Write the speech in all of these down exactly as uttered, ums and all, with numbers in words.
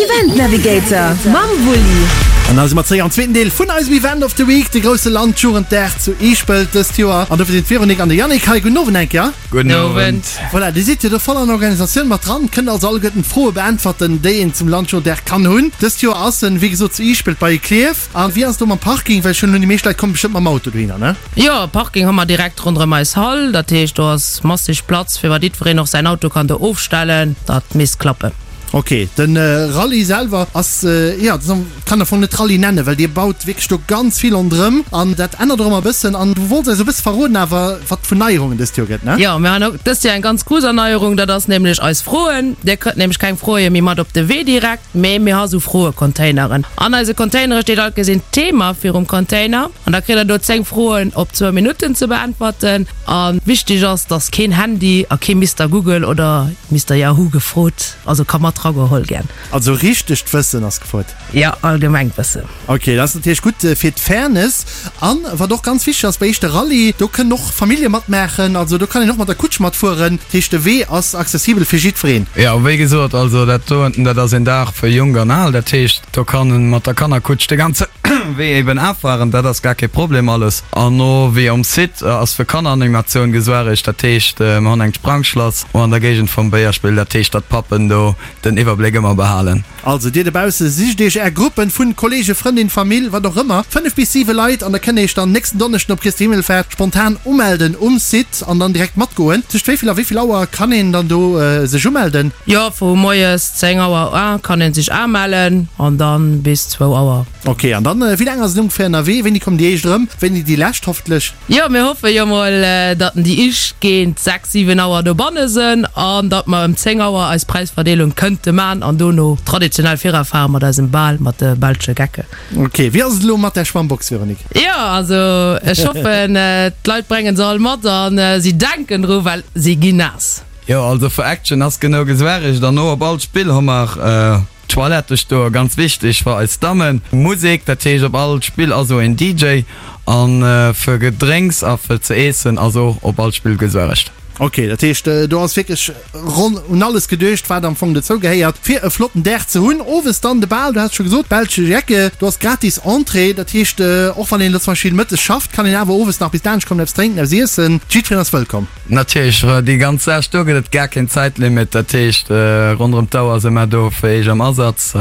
Event Navigator mam Wulli. An da si mer zréck am zweeten Deel vun eisem Event of the Week, de grousse Landjugenddag zu Eeschpelt dëst Joer. An dofir sinn d'Véronique an de Yannick hei. Gudden Owend eng Kéier. Gudden Owend. Voilà, Dir sidd jo do voll an der Organisatioun mat dran, kënnt also alleguerten d'Froe beäntwerten, déi een zum Landjugenddag kann hunn. Dëst Joer ass en, wéi gesot, zu Eeschpelt bei Klierf. A wéi ass et do mam Parking? Well ech hunn elo, déi meescht Leit komme bestëmmt mam Auto dohinner, ne? Jo, Parking hu mer direkt ronderëm eis Hall. Dat heescht, do ass masseg Platz, fir wat jiddwereen och säin Auto kann do ofstellen. Dat misst klappen. Ok, den Rallye selwer ass, jo, kann am Fong net Rallye nennen, well dir baut wierklech do ganz vill ronderëm an dat ännert och ëmmer e bëssen. An du wollts eis e bësse verroden awer, wat et vun Neierungen dëst Joer gëtt, ne? Jo, mir han och dëst Joer eng ganz grouss Erneierung, dat ass nämlech eis Froen. Dir kritt nämlech keng Froe méi mat op de Wee direkt, mee mir ha sou Froecontaineren. An eise Containere steet alt gesinn d'Thema virum Container an da kritt der do zéng Froen op zwou Minutten ze beäntwerten. A wichteg ass, dass keen Handy a kee Mister Google oder Mister Yahoo gefrot, also ka mat rageholl gern. Also richtegt Wëssen ass gefrot? Jo, allgemengt Wëssen. Ok, dat ass natierlech gutt fir d'Fairness. An wat och ganz wichteg ass bei éischte Rallye, do kënnen och Famillje matmaachen, also do kann een och mat der Kutsch matfueren. Dat heescht de Wee ass accessibel fir jiddwereen. Jo, wéi gesot, also dat do ënten, dat ass een Dag fir Jonk an Al. Dat heescht, do kann en mat der Kannerkutsch de ganze Wee eben afahren, dat ass gar kee Problem alles. An no wéi um Site ass fir Kanneranimatioun gesuaregt, dat heescht mer hunn eng Sprangschlass o an der Géigend vum Béierspill, dat heescht datt d'Pappen do den Iwwerbléck ëmmer behalen. Also dir dobausse, sicht iech är Gruppen vun Kollegen, Frëndin, Famill, wat och ëmmer, fënnef bis siwe Leit, an da kënnt dir iech dann nächsten Donneschden op Christi Himmelfahrt spontan umelden um Site an dann direkt matgoen. Tëscht wéi vill a wéi vill Auer kann een dann do sech umelden? Jo, vu moies zéng Auer u kann een sech amellen an dann bis zwou Auer. Ok, an dann, wéi laang ass et ongeféier ënnerwee? Wéini kommen déi éischt erëm? Wéini déi lescht hoffentlech? Jo, mir hoffe jo mol, datt déi éischt géint sechs, siwen Auer dobanne sënn an datt mer ëm zéng Auer eis Präisverdeelung kënnte man an dono traditionell virafare mat eisem Bal mat de belsche Gecken. Ok, wéi ass et elo mat der Schwammbox, Véronique? Jo, also ech hoffen, d'Leit bréngen se all mat an si denken dru, well si ginn naass. Jo, also fir Action ass genou gesuaregt an no op all Spill hu mer Toilette stoen, ganz wichteg fir eis Dammen. Musek, dat heescht op all Spill ass o een D J an fir Gedrénks a fir ze eessen ass och op all Spill gesuaregt. Ok, dat heescht do ass wierklech ronn un alles geduecht wat am Fong dozou gehéiert fir e flotten Dag ze hunn. Owes dann de Bal, du has et scho gesot, Belsche Jecke, do ass gratis Entrée, dat heescht och wann een elo zum Beispill mëttes schafft, kann een awer owes nach bis laanscht kommen, eppes drénken, eppes iessen, jiddwereen ass wëllkomm. Natierlech, déi ganz Saach, do gëtt et gar keen Zäitlimit, dat heescht ronderëm d'Auer si mer do fir eech am Asaz.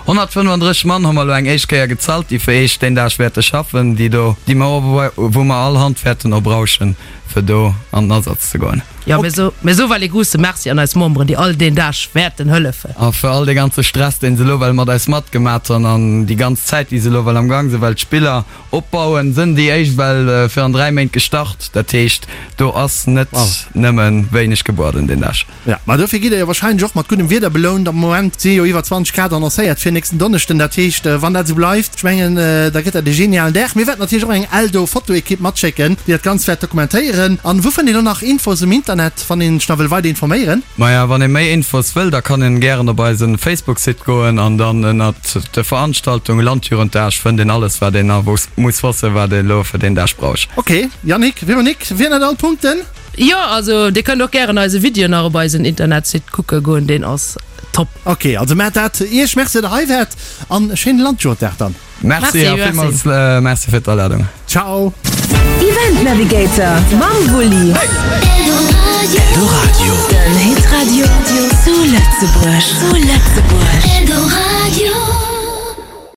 honnertfënnefandrësseg Mann hu mer elo eng éischt Kéier gezalt, déi fir eech deen Dag wäerte schaffen, déi do, déi mer, wou mer all Hand wäerten obrauschen, fir do an den Asaz ze goen. Jo, mir so, mir soe well ee grousse Merci an eis Memberen, déi all deen Dag wäerten hëllefen. A fir all dee ganze Stress, deen se elo well mat eis matgemat hunn an déi ganz Zäit, déi se elo well am Gang sinn, well d'Spiller opbauen, sënn déi éischt well virun dräi Méint gestart. Dat heescht, do ass net nëmme wéineg gebueden deen Dag. Ja, ma dofir gitt der jo wahrscheinlech och mat guddem Wieder belount. Am Moment si jo iwwer zwanzeg Grad annoncéiert fir nächsten Donneschden. Dat heescht, wann dat esou bleift, ech mengen, da gëtt dat e genialen Dag. Mir wäerten natierlech och eng Eldo-Fotoekipp matschécken, déi dat Ganzt wäert dokumentéieren. An wou fënnt een elo nach Infos um Internet, wann een sech nach wëll weider informéieren? Maja, wann ee méi Infos wëll, da kann een gären op eise Facebook-Site goen an dann ënnert de Veranstaltungen Landjugenddag fënnt een alles, wat een nach muss wëssen, wat een elo fir deen Dag brauch. Ok, Yannick, Véronique, wieren dat all d'Punkten? Jo, also dir kënnt och gären eise Video nach op eisen Internetsite kucke goen, deen ass top. Ok, also maacht dat. Iech Merci, datt der hei waart an e schéine Landjugenddag dann. Merci a villmools Merci fir d'Aladung. Ciao. Event Navigator mam Wulli. Eldoradio. Den Hitradio zu Lëtzebuerg. Zu Lëtzebuerg.